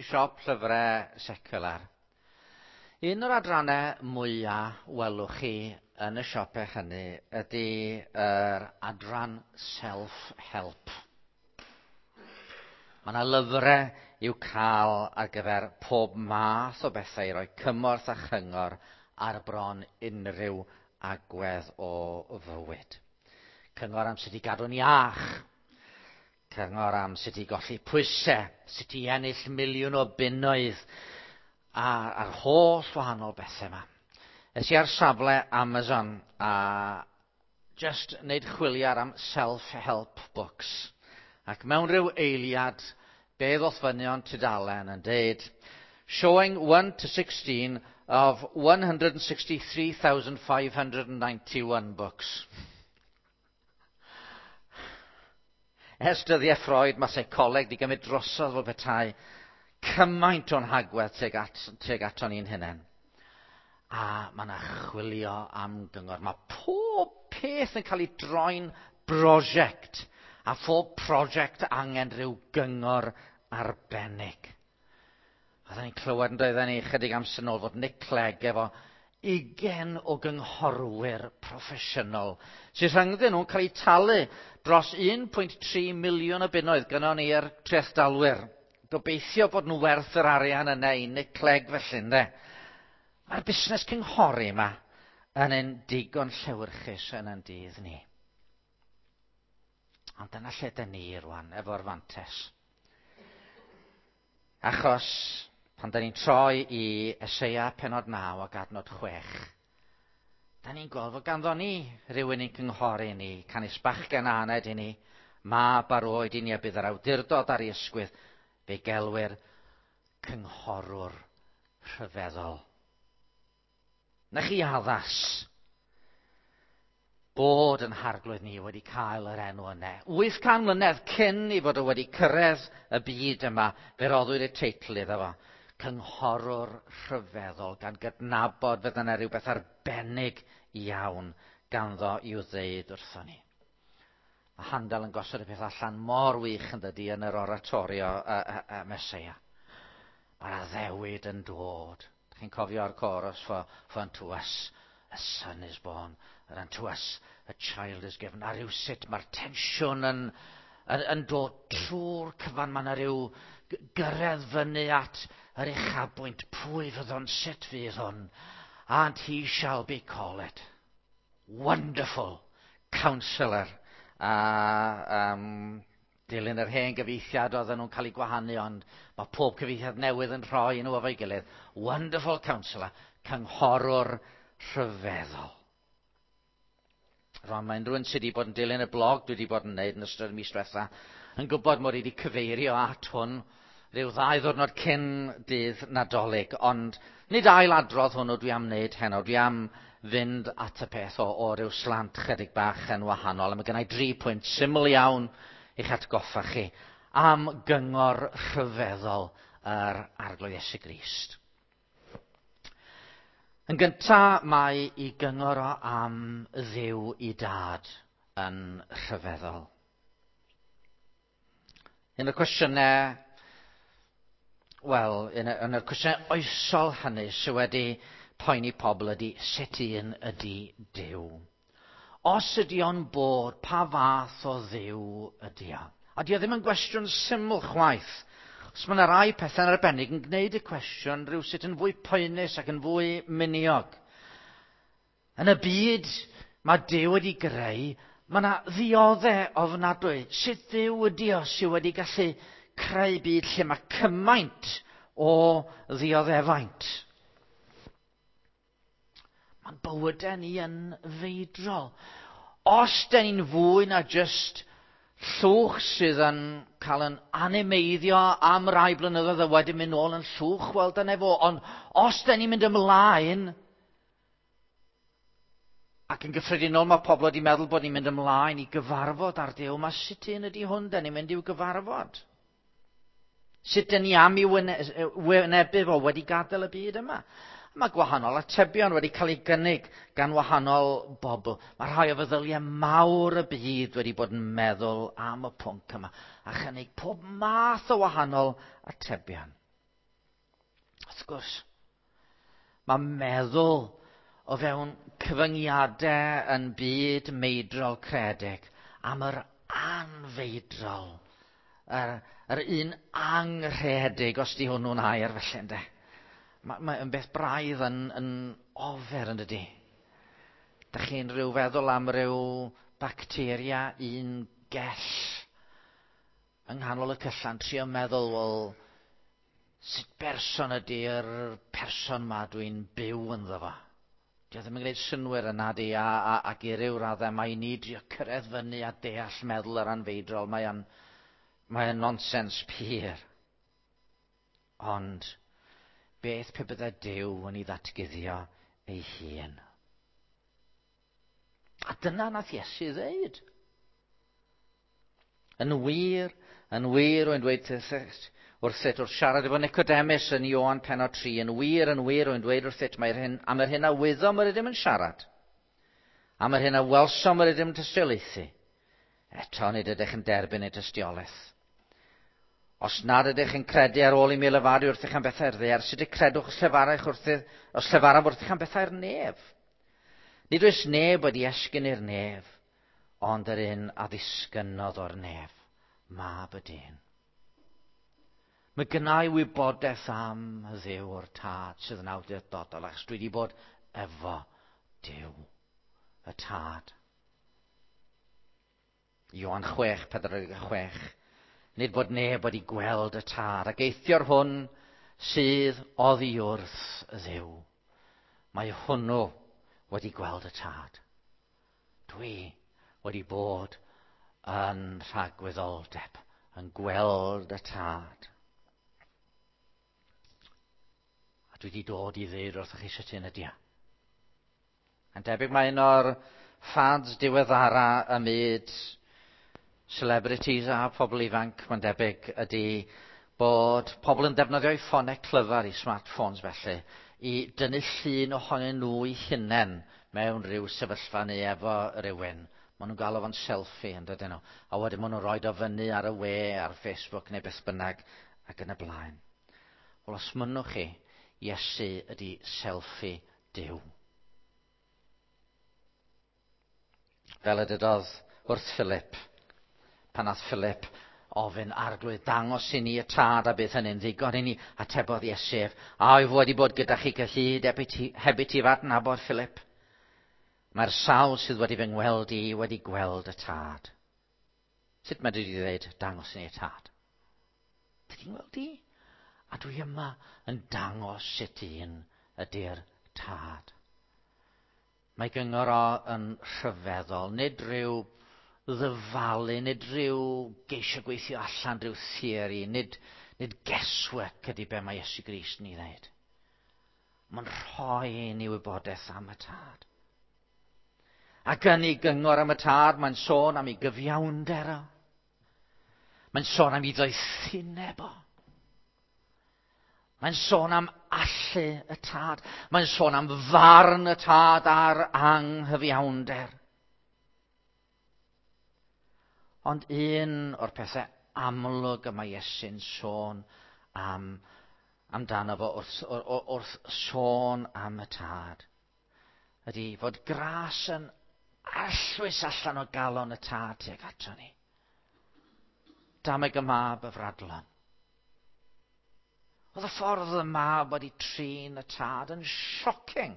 siop llyfrau secular, un o'r adrannau mwyaf welwch chi yn y siopau hynny ydy yr adran self-help. Mae yna lyfrau i'w cael ar gyfer pob math o bethau i roi cymorth a chyngor ar bron unrhyw agwedd o fywyd. Cyngor am sut i gadw'n iach, cyngor am sut i golli pwysau, sut i ennill miliwn o bunnoedd, a'r holl wahanol bethau yma. Es i ar safle Amazon a just wneud chwiliad am self-help books. Ac mewn rhyw eiliad, be ddoth fyny o'n tudalen yn deud, showing 1 to 16 of 163,591 books. Ers dyddiau Freud, mae seicoleg wedi gymryd drosodd fel petai cymaint o'n hagwedd tuag, at, tuag aton ni'n hunain. A mae yna chwilio am gyngor. Mae pob peth yn cael ei droi'n brosiect. A phob prosiect angen rhyw gyngor arbennig. Oedden ni'n clywed yn doedden ni chydig amser nôl fod Nick Clegg efo 20 o gynghorwyr proffesiynol sydd rhyngddyn nhw'n cael eu talu dros 1.3 miliwn o bunnoedd gynnon ni'r trethdalwyr. Gobeithio bod nhw werth yr arian yna i Nick Clegg felly, ynde? Mae'r busnes cynghori yma yn un digon llewyrchus yn ein dydd ni. Ond dyna lle dyn ni rwan, efo'r fantes. Achos pan da ni'n troi i Eseia penod 9 ac adnod 6, da ni'n gweld fod ganddo ni rhywun i'n cynghori ni, canys bachgen a aned i ni, mab ar oed i ni a bydd yr awdurdod ar ei ysgwydd, fe gelwir cynghorwr rhyfeddol. Na chi addas bod yn harglwydd ni wedi cael yr enw yna. 800 mlynedd cyn i fod o wedi cyrraedd y byd yma, fe roddwyd y teitl iddo fo. Cynghorwr rhyfeddol, gan gydnabod fod yna rhywbeth arbennig iawn ganddo i'w ddeud wrtho ni. Mae Handel yn gosod y peth allan mor wych yn dydy yn yr oratorio y, y, y Meseia. Mae'r addewid yn dod. Chi'n cofio'r chorus for unto us a son is born, and unto us a child is given. A rhyw sut mae'r tensiwn yn, yn, yn dod trwy'r cyfan. Mae yna rhyw gyrraedd fyny at yr uchafbwynt. Pwy fydd o'n sut fydd hwn? And he shall be called Wonderful Counselor. A dilyn yr hen gyfieithiad oedden nhw'n cael eu gwahanu, ond mae pob cyfieithiad newydd yn rhoi nhw efo'i gilydd. Wonderful Counselor, cynghorwr rhyfeddol. Rwan, mae unrhyw un sydd wedi bod yn dilyn y blog dwi wedi bod yn gwneud yn ystod y mis diwetha yn gwybod mod i wedi cyfeirio at hwn rhyw ddau ddwrnod cyn dydd Nadolig, ond nid ail adrodd hwnnw dwi am wneud heno. Dwi am fynd at y peth o, o ryw slant chydig bach yn wahanol. A mae gennau dri pwynt syml iawn i'ch atgoffa chi am gyngor rhyfeddol yr Arglwydd Iesu Grist. Yn gyntaf, mae i gyngor o am Dduw i dad yn rhyfeddol. Un o'r cwestiynau, wel, un o'r cwestiynau oesol hynny sydd wedi poeni pobl ydy sut un ydy Duw. Os ydy o'n bod, pa fath o Dduw ydy o? A di o ddim yn gwestiwn syml chwaith. Os mae yna rai pethau'n arbennig yn gwneud y cwestiwn rhywsut yn fwy poenus ac yn fwy miniog. Yn y byd mae Duw wedi greu, mae yna ddioddau ofnadwy. Sut Dduw ydy o sydd wedi gallu creu byd lle mae cymaint o ddioddefaint? Mae'n bywydau ni yn feidrol. Os dyn ni'n fwy na jyst llwch sydd yn cael yn animeiddio am rai blynyddoedd a wedyn mynd nôl yn llwch, wel dyna fo. Ond os dyn ni'n mynd ymlaen, ac yn gyffredinol mae pobl wedi meddwl bod ni'n mynd ymlaen i gyfarfod ar Duw, mae sut un ydy hwn dyn ni'n mynd i'w gyfarfod? Sut dyn ni am i wynebu fo wedi gadael y byd yma? Mae gwahanol atebion wedi cael ei gynnig gan wahanol bobl. Mae rhai o feddyliau mawr y byd wedi bod yn meddwl am y pwnc yma a chynnig pob math o wahanol atebion. Wrth gwrs, mae meddwl o fewn cyfyngiadau yn byd meidrol credig am yr anfeidrol, yr un angrhedig, os di hwnnw'n air felly, ynde. Mae yn beth braidd yn ofer, yn dydi? Da chi'n rhyw feddwl am ryw bacteria un gell yng nghanol y cyllan, trio meddwl, wel, sut berson ydy'r person ma dwi'n byw ynddo fo? Dio ddim yn gwneud synnwyr yna di, ac i ryw raddau mae ni drio cyrraedd fyny a deall meddwl yr anfeidrol. Mae o'n nonsens pur. Ond beth pe bydde Duw yn ei ddatguddio ei hun? A dyna nath Iesu ddeud. Yn wir, rwy'n dweud wrthyt, wrth siarad efo Nicodemus yn Ioan pennod 3, yn wir, rwy'n dweud wrthyt, mae'r hyn, am yr hyn a wyddom yr ydym yn siarad, am yr hyn a welsom yr ydym yn tystiolaethu, eto nid ydych yn derbyn ei tystiolaeth. Os nad ydych yn credu ar ôl i mi lefaru wrthych am bethau'r ddaear, sut y credwch os llefaraf wrthych am bethau'r nef? Nid oes neb wedi esgyn i'r nef, ond yr un a ddisgynnodd o'r nef, Mab y Dyn. Mae gynna i wybodaeth am Dduw o'r Tad sydd yn awdurdodol, achos dwi wedi bod efo Duw, y Tad. Ioan 6:46. Nid bod neb wedi gweld y Tad, ac eithio'r hwn sydd oddi wrth Dduw. Mae hwnnw wedi gweld y Tad. Dwi wedi bod yn rhagwyddoldeb, yn gweld y Tad. A dwi wedi dod i ddeud wrthych chi sut hyn ydi o. Yn debyg mae un o'r fads diweddara ym myd celebrities a pobl ifanc, mae'n debyg, ydy bod pobl yn defnyddio eu ffonau clyfar, i smartphones felly, i dynnu llun ohonyn nhw eu hunain mewn rhyw sefyllfa neu efo rhywun. Maen nhw'n galw fo'n selfie, yn dydyn nhw. A wedyn maen nhw'n rhoi o fyny ar y we, ar Facebook neu beth bynnag, ac yn y blaen. Wel, os mynnwch chi, Iesu ydy selfie Duw. Fel y dydodd wrth Philip, pan nath Philip ofyn, Arglwydd, dangos i ni y Tad a bydd hynny'n ddigon i ni, atebodd Iesu ef, a wyf wedi bod gyda chi cyhyd heb i ti f'adnabod, Philip? Mae'r sawl sydd wedi fy ngweld i wedi gweld y Tad. Sut mae wedi dweud, dangos i ni y Tad? Ti weld i? A dwi yma yn dangos sut un ydy'r Tad. Mae gyngor o yn rhyfeddol, nid rhyw ddyfalu, nid rhyw geisio gweithio allan rhyw theori, nid guesswork ydy be mae Iesu Grist yn ei ddweud. Mae'n rhoi i ni wybodaeth am y Tad. Ac yn ei gyngor am y Tad, mae'n sôn am ei gyfiawnder o. Mae'n sôn am ei ddoethineb o. Mae'n sôn am allu y Tad. Mae'n sôn am farn y Tad a'r anghyfiawnder. Ond un o'r pethau amlwg y mae Iesu'n sôn amdano fo wrth sôn am y Tad ydy fod gras yn arllwys allan o galon y Tad tuag ato ni. Dameg y mab y fradlon. Oedd y ffordd y mab wedi trin y Tad yn shocking.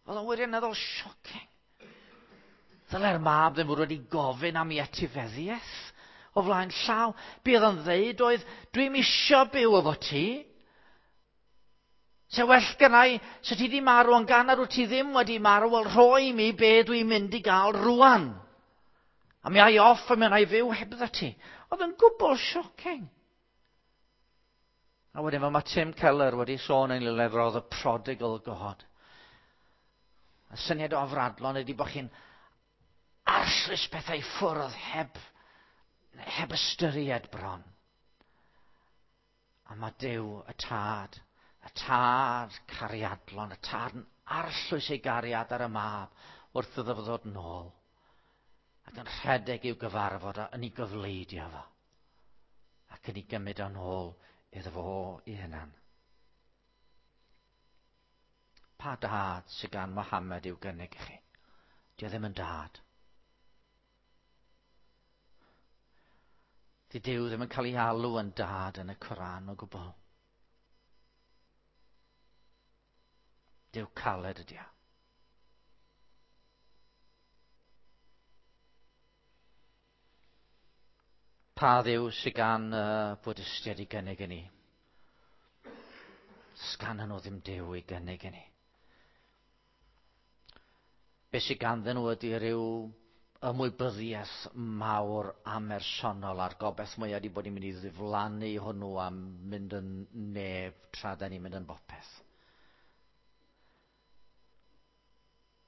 Oedd o'n wirioneddol shocking. Ddyle'r mab ddim fod wedi gofyn am ei etifeddiaeth o flaen llaw. Be oedd o'n ddeud oedd, dwi'm isio byw efo ti. Se well gennai, se ti di marw, ond gan nad wyt ti ddim wedi marw, wel rhoi mi be dwi'n mynd i gael rwan. A mi ai off a mi wna i fyw hebdda ti. Oedd yn gwbl shocking. A wedyn fel mae Tim Keller wedi sôn yn ei lyfr o The Prodigal God. Y syniad o afradlon ydy bod chi'n arllwys pethau i ffwrdd heb ystyried bron. A mae Duw, y Tad cariadlon, y Tad yn arllwys ei gariad ar y mab wrth iddo fo ddod nôl. Ac yn rhedeg i'w gyfarfod a yn ei gyfleidio fo. Ac yn ei gymryd o'n ôl iddo fo i hunan. Pa dad sydd gan Mohammed i'w gynnig i chi? Di o ddim yn dad. Di Duw ddim yn cael ei alw yn dad yn y Coran o gwbl. Duw caled ydi o. Pa ddiw sydd gan y Bwdistiaid i gynnig i ni? Sgan nhw ddim Duw i gynnig i ni. Be sydd ganddyn nhw ydy rhyw ymwybyddiaeth mawr amersonol a'r gobaith mwyaf ydy bod ni'n mynd i ddiflannu hwnnw a mynd yn neb tra da ni'n mynd yn bopeth.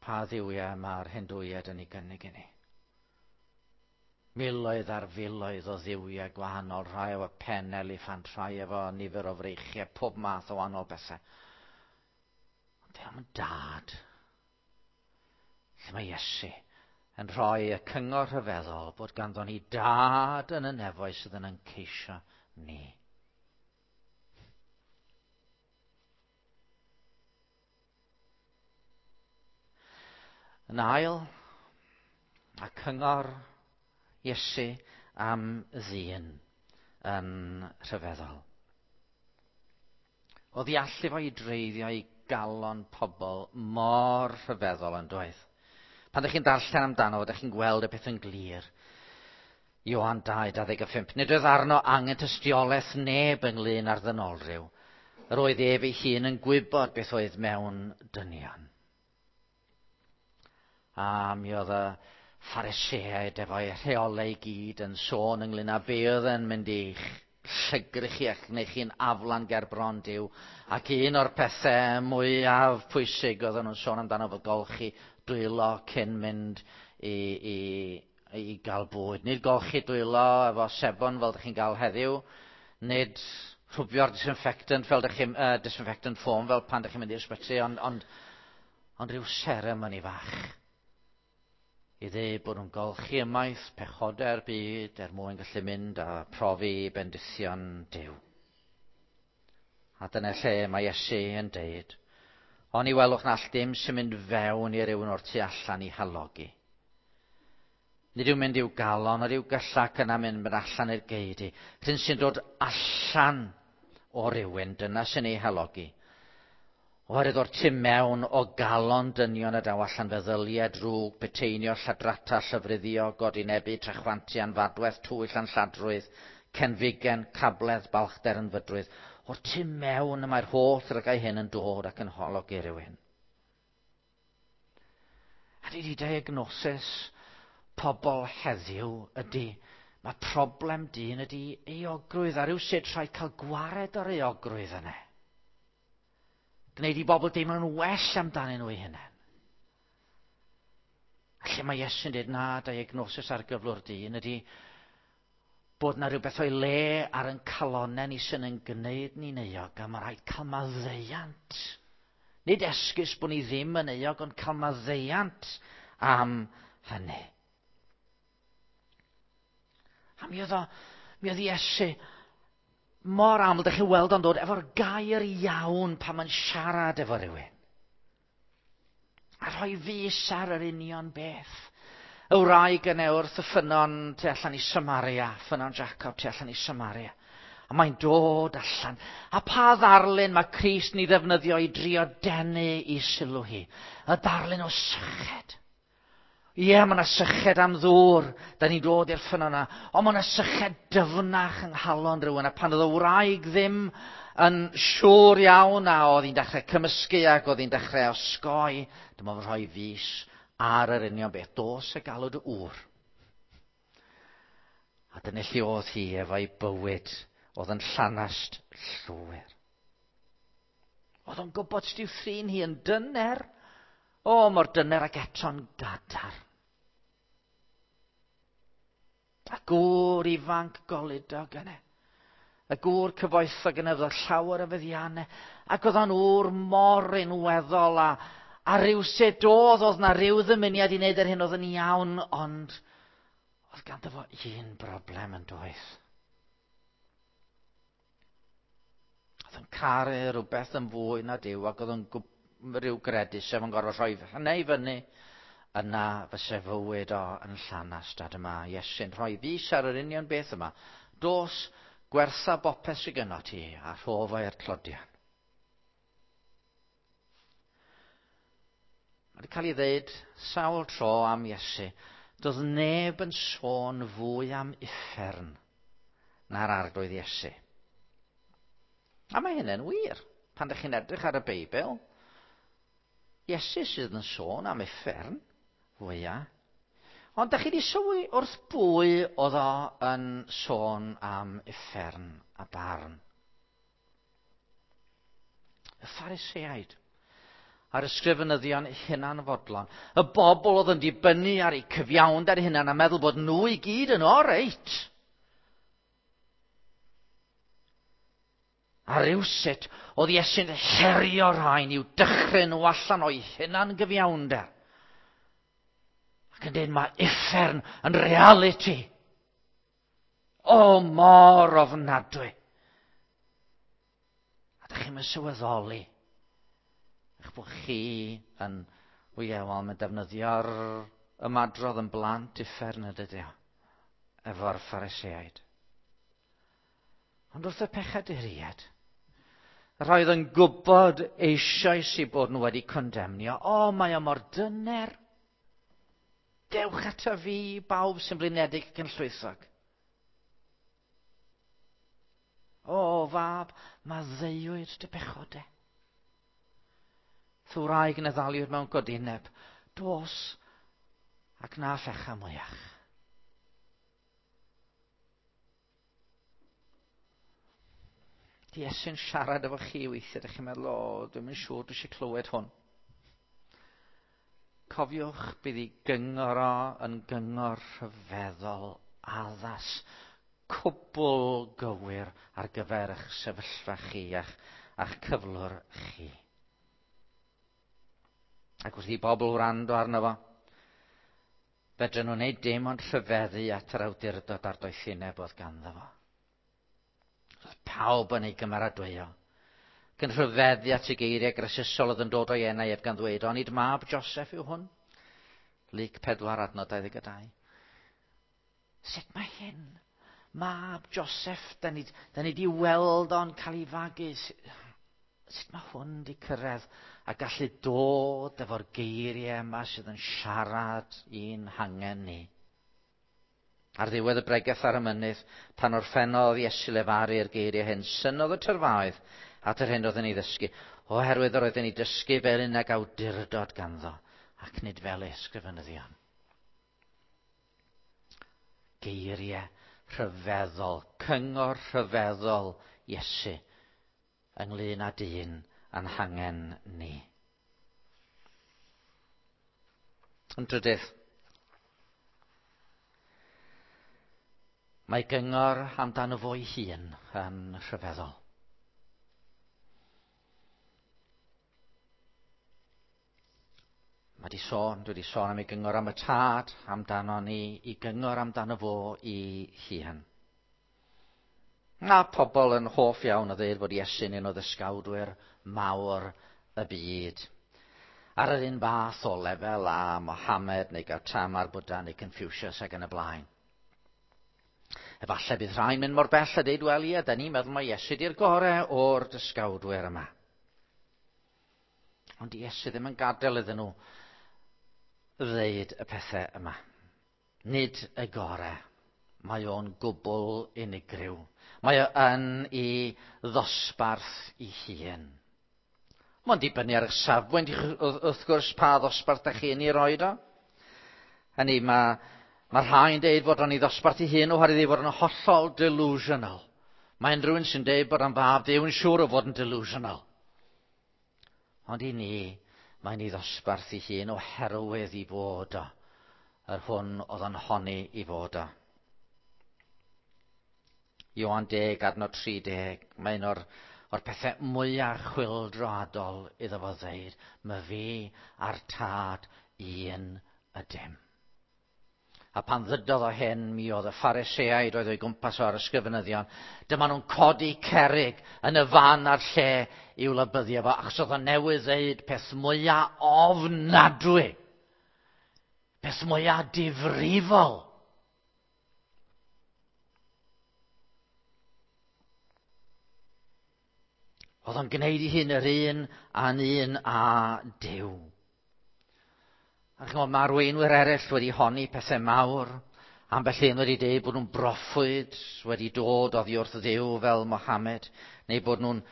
Pa ddiwiau mae'r Hindwiaid yn ei gynnig i ni? Miloedd ar filoedd o ddiwiau gwahanol, rhai efo pen eliffant, rhai efo nifer o freichiau, pob math o wahanol bethau. Ond dwi am yn dad. Lle mae Iesu yn rhoi y cyngor rhyfeddol bod ganddo ni dad yn y nefoedd sydd yn ein ceisio ni. Yn ail, a cyngor Iesu am ddyn yn rhyfeddol. Oedd i allu fo i dreiddio i galon pobl mor rhyfeddol yn doedd. Pan ydych chi'n darllen amdano, ydych chi'n gweld y peth yn glir. Ioan 2, 25. Nid oedd arno angen tystiolaeth neb ynglyn â'r ddynolryw. Yr oedd ef ei hun yn gwybod beth oedd mewn dynion. A mi oedd y Phariseaid efo'i rheolau i gyd yn sôn ynglyn â be oedd yn mynd i llygru chi ac wneud chi'n aflan ger bron Duw. Ac un o'r pethau mwyaf pwysig oedden nhw'n sôn amdano fod golchi dwylo cyn mynd i, i, i gael bwyd. Nid golchi dwylo efo sebon fel ydych chi'n gael heddiw, nid rhwbio'r disinfectant fel ydych chi'n disinfectant foam fel pan ydych chi'n mynd i'r ysbyty, ond, ond, ond rhyw seremoni fach i ddeud bod nhw'n golchi ymaith pechodau'r byd er mwyn gallu mynd a profi bendithion Duw. A dyna lle mae Iesu yn deud, ond i welwch na all dim sy'n mynd fewn i rywun o'r tu allan i halogi. Nid yw'n mynd i'w galon, ond i'w gyllac yna mynd allan i'r geidi. Rhyn sy'n dod allan o rywun, dyna sy'n ei halogi. Oherwydd o'r tu mewn o galon dynion y daw allan feddyliau drwg, peteinio, lladrata, llyfruddio, godinebu, trachwantu, anfadwedd, twyll, anlladrwydd, cenfigen, cabledd, balchder, ynfydrwydd. O'r tu mewn y mae'r holl ddrygau hyn yn dod ac yn hologi rhywun. A di diagnosis pobl heddiw ydy, mae problem dyn ydy euogrwydd, a rhywsut rhaid cael gwared o'r euogrwydd yna. Gwneud i bobl deimlo'n well amdanyn nhw eu hunain. A lle mae Iesu'n dweud na, diagnosis ar gyflwr dyn ydy bod na rhywbeth o'i le ar yn calonau ni sy'n yn gwneud ni'n euog, a mae rhaid cael maddeuant. Nid esgus bod ni ddim yn euog, ond cael maddeuant am hynny. A mi oedd, o, mi oedd Iesu mor aml, ydych chi'n weld o'n dod efo'r gair iawn pan mae'n siarad efo rhywun. A rhoi fus ar yr union beth. Y wraig yna wrth y ffynnon tu allan i Samaria, ffynnon Jacob tu allan i Samaria. A mae'n dod allan. A pa ddarlun mae Crist ni ddefnyddio i drio denu i sylw hi? Y darlun o syched. Ie, mae yna syched am ddŵr. Da ni'n dod i'r ffynnon yna. Ond mae yna syched dyfnach yng nghalon rhywun. A pan oedd y wraig ddim yn siŵr iawn a oedd hi'n dechrau cymysgu ac oedd hi'n dechrau osgoi, dyma fy rhoi fus ar yr union beth. Dos y galw dy ŵr. A dyna lle oedd hi efo'i bywyd. Oedd yn llanast llwyr. Oedd o'n gwybod sut i'w thrin hi yn dyner. O, mor dyner ac eto'n gadar. A gŵr ifanc goludog yna. Y gŵr cyfoethog yna oedd llawer o feddiannau. Ac oedd o'n ŵr mor unweddol a, a rhywsut oedd, oedd na rhyw ddymuniad i wneud yr hyn oedd yn iawn, ond oedd ganddo fo un broblem yn doedd. caru rhywbeth yn fwy na Duw ac oedd yn rhyw gredu sef yn gorfod rhoi hynny i fyny, yna fyse fywyd o yn llanast. A dyma Iesu'n rhoi fys ar yr union beth yma. Dos, gwertha bopeth sydd gynno ti a rho fo i'r tlodion. Mae wedi cael ei ddeud sawl tro am Iesu. Doedd neb yn sôn fwy am uffern na'r Arglwydd Iesu. A mae hynny'n wir. Pan ydych chi'n edrych ar y Beibl, Iesu sydd yn sôn am uffern fwyaf. Ond ydych chi wedi sylwi wrth bwy oedd o yn sôn am uffern a barn? Y Phariseaid a'r ysgrifenyddion hunanfodlon. Y bobl oedd yn dibynnu ar eu cyfiawnder hunan a meddwl bod nhw i gyd yn oreit. A rywsut, oedd Iesu'n herio rhain i'w dychryn nhw allan o'i hunan gyfiawnder. Ac yn dweud, mae uffern yn reality. O, mor ofnadwy. A dych chi'n mynd sylweddoli eich bod chi yn, o ie, wel, mae'n defnyddio'r ymadrodd yn blant uffern ydy o, efo'r Phariseaid. Ond wrth y pechaduriaid, roedd yn gwybod eisoes i bod nhw wedi condemnio. O, mae o mor dyner. Dewch ato fi, bawb sy'n blinedig ac yn llwythog. O, fab, maddeuwyd dy bechode. Thwraig yn y ddaliwyd mewn godineb. Dos ac na phecha mwyach. Di Iesu'n siarad efo chi weithiau, ydych chi'n meddwl, o, dwi'm yn siŵr, dwi eisiau clywed hwn. Cofiwch, bydd ei gyngor o yn gyngor rhyfeddol, addas, cwbl gywir ar gyfer eich sefyllfa chi a'ch, a'ch cyflwr chi. Ac wrth i bobl wrando arno fo, fedrwn nhw wneud dim ond rhyfeddu at yr awdurdod a'r doethineb oedd ganddo fo. Roedd pawb yn ei gymeradwyo. Ac yn rhyfeddu at y geiriau grasusol oedd yn dod o'i enau ef gan ddweud, onid mab Joseph yw hwn? Luc 4 adnod 22. Sut mae hyn? Mab Joseph, da ni, da ni di weld o'n cael ei fagu. Sut mae hwn di cyrraedd a gallu dod efo'r geiriau yma sydd yn siarad i'n hangen ni? Ar ddiwedd y bregeth ar y mynydd, pan orffennodd Iesu lefaru'r geiriau hyn, synnodd y tyrfaoedd at yr hyn oedd yn ei ddysgu, oherwydd yr oedd yn ei dysgu fel un ag awdurdod ganddo, ac nid fel ei ysgrifenyddion. Geiriau rhyfeddol, cyngor rhyfeddol Iesu ynglyn â dyn a'n hangen ni. Yn drydydd, mae gyngor amdano fo'i hun yn rhyfeddol. Mae di sôn, dwi wedi sôn am ei gyngor am y tad, amdano ni, i gyngor amdano fo i hun. Na pobl yn hoff iawn o ddeud fod Iesu'n un o ddysgawdwyr mawr y byd. Ar yr un fath o lefel â Mohammed neu Gautama, Buddha neu Confucius ac yn y blaen. Efallai bydd rhai'n mynd mor bell a deud, wel ie, da ni'n meddwl mai Iesu di'r gorau o'r dysgawdwyr yma. Ond Iesu ddim yn gadael iddyn nhw ddeud y pethau yma. Nid y gorau. Mae o'n gwbl unigryw. Mae o yn ei ddosbarth ei hun. Mae'n dibynnu ar eich safbwynt, wrth gwrs, pa ddosbarth da chi yn ei roed o. Hynny, mae, mae rhai'n deud fod o'n ei ddosbarth ei hun oherwydd ei fod yn hollol delusional. Mae unrhyw un sy'n deud bod o'n fab Duw yn siŵr o fod yn delusional. Ond i ni, mae'n ei ddosbarth ei hun oherwydd i fod o, yr hwn oedd yn honni i fod o. Ioan 10, adnod 30, mae un o'r, o'r pethau mwyaf chwyldroadol iddo fo ddeud, mae fi a'r tad un ydym. A pan ddydodd o hyn, mi oedd y Phariseaid oedd o'i gwmpas o ar ysgrifenyddion. Dyma nhw'n codi cerrig yn y fan a'r lle i'w lybyddio fo, achos oedd o newydd ddeud peth mwyaf ofnadwy, peth mwyaf difrifol. Oedd o'n gwneud ei hun yr un a'n un â Duw. A chymod, mae arweinwyr eraill wedi honni pethau mawr. Ambell un wedi dweud bod nhw'n broffwyd wedi dod oddi wrth Dduw fel Mohammed, neu bod nhw'n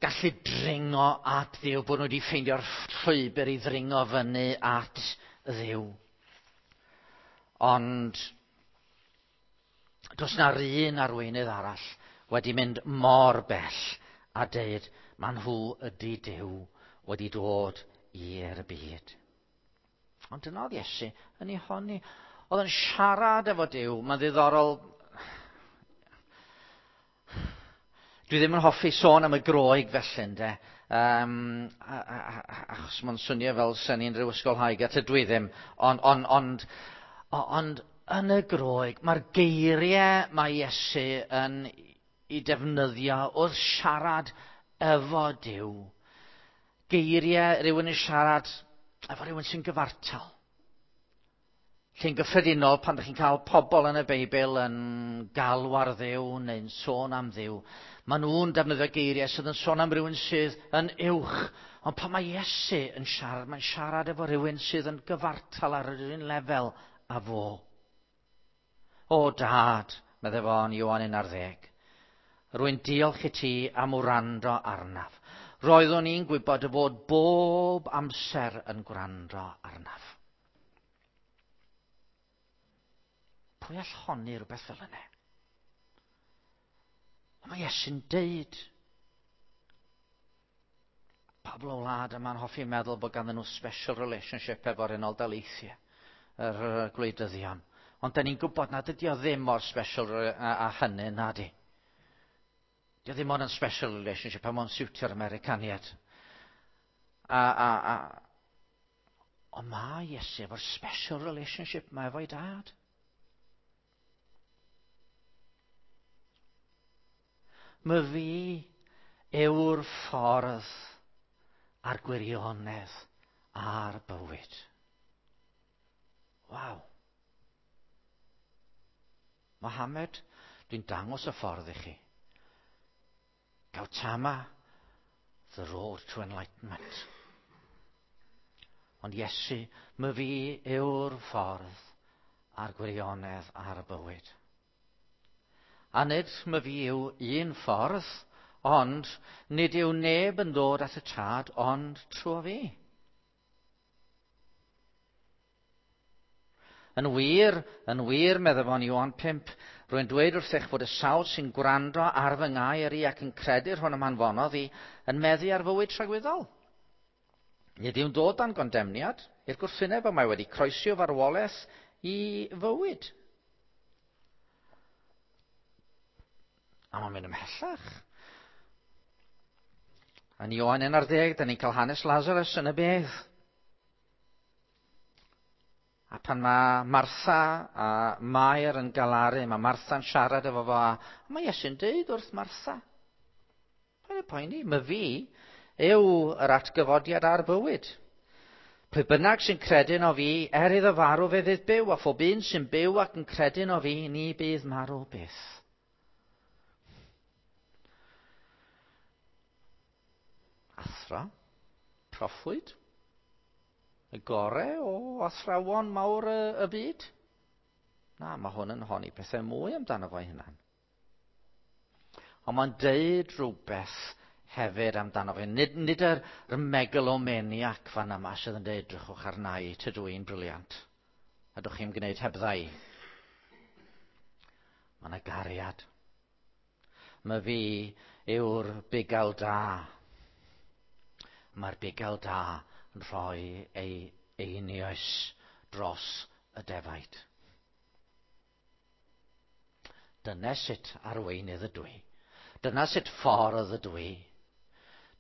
gallu dringo at Dduw, bod nhw wedi ffeindio'r llwybr i ddringo fyny at Dduw. Ond does na'r un arweinydd arall wedi mynd mor bell a deud ma nhw ydy Duw wedi dod i'r byd. Ond dyna oedd Iesu yn ei honni. Oedd yn siarad efo Duw. Mae'n ddiddorol. Dwi ddim yn hoffi sôn am y Groeg felly, ynde. Achos mae'n swnio fel sy'n ni'n rhyw ysgolhaig, a tydw i ddim. Ond, ond, ond, ond yn y Groeg, mae'r geiriau mae Iesu yn ei defnyddio wrth siarad efo Duw. Geiriau rhywun yn siarad efo rhywun sy'n gyfartal. Lle'n gyffredinol, pan ydych chi'n cael pobl yn y Beibl yn galw ar Dduw neu'n sôn am Dduw, maen nhw'n defnyddio geiriau sydd yn sôn am rhywun sydd yn uwch. Ond pan mae Iesu yn siarad, mae'n siarad efo rhywun sydd yn gyfartal ar yr un lefel â fo. O Dad, meddai fo yn Ioan 11, rwy'n diolch i ti am wrando arnaf. Roeddwn i'n gwybod dy fod bob amser yn gwrando arnaf. Pwy all honni rhywbeth fel yna? Ond mae Iesu'n deud. Pobl o wlad yma'n hoffi meddwl bod ganddyn nhw special relationship efo'r Unol Daleithiau, yr gwleidyddion. Ond da ni'n gwybod nad ydy o ddim mor special a hynny, na di. Dio ddim ond yn special relationship am ond siwtio'r Americaniad. A, a, a, ond mae Iesu efo'r special relationship mae efo'i dad. My fi yw'r ffordd a'r gwirionedd a'r bywyd. Waw. Mohammed, dwi'n dangos y ffordd i chi. Gautama, the road to enlightenment. Ond Iesu, my fi yw'r ffordd a'r gwirionedd a'r bywyd. A nid my fi yw un ffordd, ond nid yw neb yn dod at y Tad ond trwy fi. Yn wir, yn wir, meddai fo'n Ioan 5, rwy'n dweud wrthych fod y sawl sy'n gwrando ar fy ngair i ac yn credu'r hwn am anfonodd i yn meddu ar fywyd tragwyddol. Nid yw'n dod dan gondemniad i'r gwrthwyneb, ond mae wedi croesi o farwolaeth i fywyd. A mae'n mynd ymhellach. Yn Ioan 11, da ni'n cael hanes Lazarus yn y bedd. A pan mae Martha a Mair yn galaru, mae Martha'n siarad efo fo, a mae Iesu'n deud wrth Martha, paid â poeni, my fi yw yr atgyfodiad a'r bywyd. Pwy bynnag sy'n credu yno fi, er iddo farw fe fydd byw, a phob un sy'n byw ac yn credu yno fi, ni bydd marw byth. Athro, proffwyd, y gore o athrawon mawr y, y byd? Na, mae hwn yn honni pethau mwy amdano fo'i hunan. Ond mae'n deud rhywbeth hefyd amdano fe. Nid, nid yr, yr megalomaniac fan yma sydd yn deud, drychwch arna i, tydw i'n briliant. A dwch chi'n gwneud hebdda i. Mae yna gariad. Mae fi yw'r bugail da. Mae'r bugail da yn rhoi ei einioes dros y defaid. Dyna sut arweinydd ydw i. Dyna sut ffordd ydw i.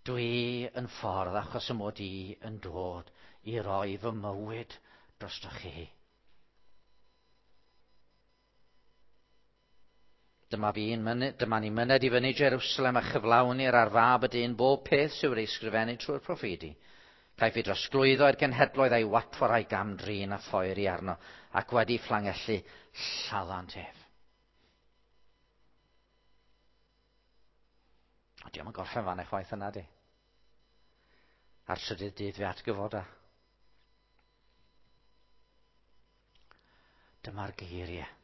Dwi yn ffordd achos y mod i yn dod i roi fy mywyd drostoch chi. Dyma fi'n myned, dyma ni'n myned i fyny Jerusalem a chyflawni'r ar fab y dyn bob peth sydd wedi ysgrifennu trwy'r proffwydi. Caiff ei drosglwyddo i'r genhedloedd a'i watwar a'i gamdrin a phoeri arno, ac wedi fflangellu lladdant ef. O, diolch yn gorffen fan eich waith yna, di. A'r trydydd dydd fe atgyfoda. Dyma'r geiriau.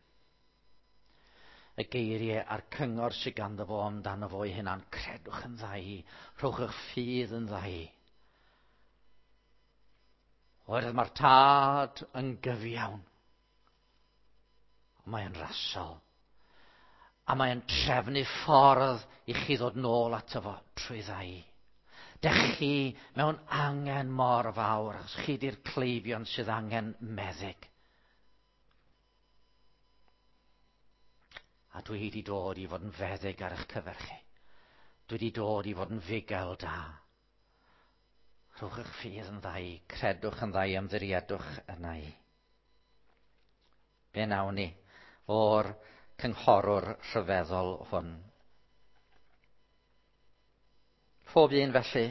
Y geiriau a'r cyngor sydd ganddo fo amdano fo ei hunan. Credwch yn dda i. Rhowch eich ffydd yn dda i. Oherwydd mae'r tad yn gyfiawn. Ond mae'n rasol. A mae'n trefnu ffordd i chi ddod nôl ato fo trwy ddau. Dech chi mewn angen mor fawr, achos chi di'r cleifion sydd angen meddyg. A dwi wedi dod i fod yn feddyg ar eich cyfer chi. Dwi wedi dod i fod yn fugail da. Rhowch eich ffydd yn ddau, credwch yn ddau, ymddiriedwch yna i. Be nawn ni o'r cynghorwr rhyfeddol hwn? Phob un felly,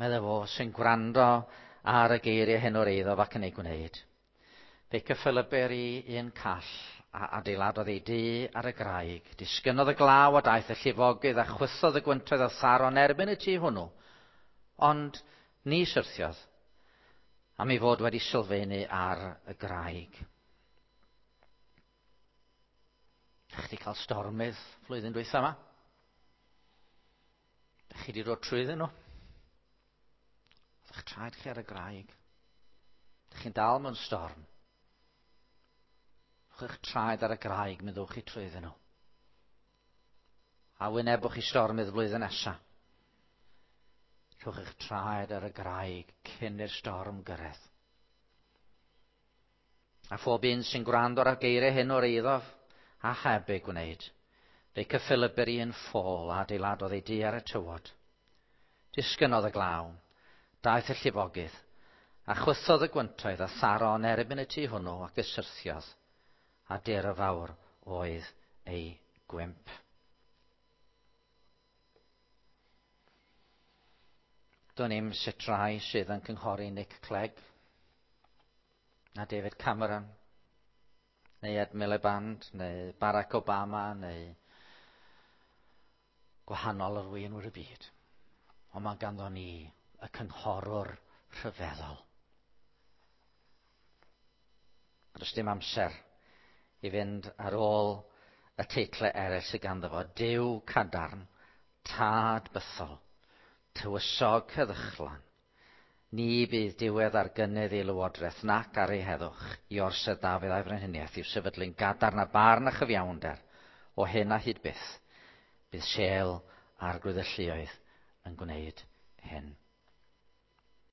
meddai fo, sy'n gwrando ar y geiriau hyn o'r eiddo ac yn ei gwneud. Fe cyffelyber i un call a adeiladodd ei dŷ ar y graig. Disgynnodd y glaw a daeth y llifogydd a chwythodd y gwyntoedd a tharo'n erbyn y tŷ hwnnw. Ond ni syrthiodd, am ei fod wedi sylfaenu ar y graig. Dych chi wedi cael stormydd flwyddyn dwytha yma? Dych chi wedi dod trwyddyn nhw? Ydych traed chi ar y graig? Dych chi'n dal mewn storm? Rhowch eich traed ar y graig, mi ddowch chi trwyddyn nhw. A wynebwch chi stormydd flwyddyn nesaf. Rhowch eich traed ar y graig cyn i'r storm gyrraedd. A phob un sy'n gwrando ar y geiriau hyn o'r eiddof a heb ei gwneud, fe cyffelybyr i un ffôl a adeiladodd ei du ar y tywod. Disgynnodd y glaw, daeth y llifogydd, a chwythodd y gwyntoedd a tharo yn erbyn y tŷ hwnnw ac y syrthiodd, a dur y fawr oedd ei gwymp. Do'n i'm sut rai sydd yn cynghori Nick Clegg, na David Cameron, neu Ed Miliband, neu Barack Obama, neu gwahanol arweinwyr y byd. Ond mae ganddo ni y cynghorwr rhyfeddol. Does dim amser i fynd ar ôl y teitlau eraill sydd ganddo fo. Duw cadarn, tad bythol, tywysog heddychlon. Ni bydd diwedd ar gynnydd ei lywodraeth nac ar ei heddwch i orsedd Dafydd a'i frenhiniaeth i'w sefydlu'n gadarn a barn a chyfiawnder o hyn a hyd byth. Bydd sêl Arglwydd y lluoedd yn gwneud hyn.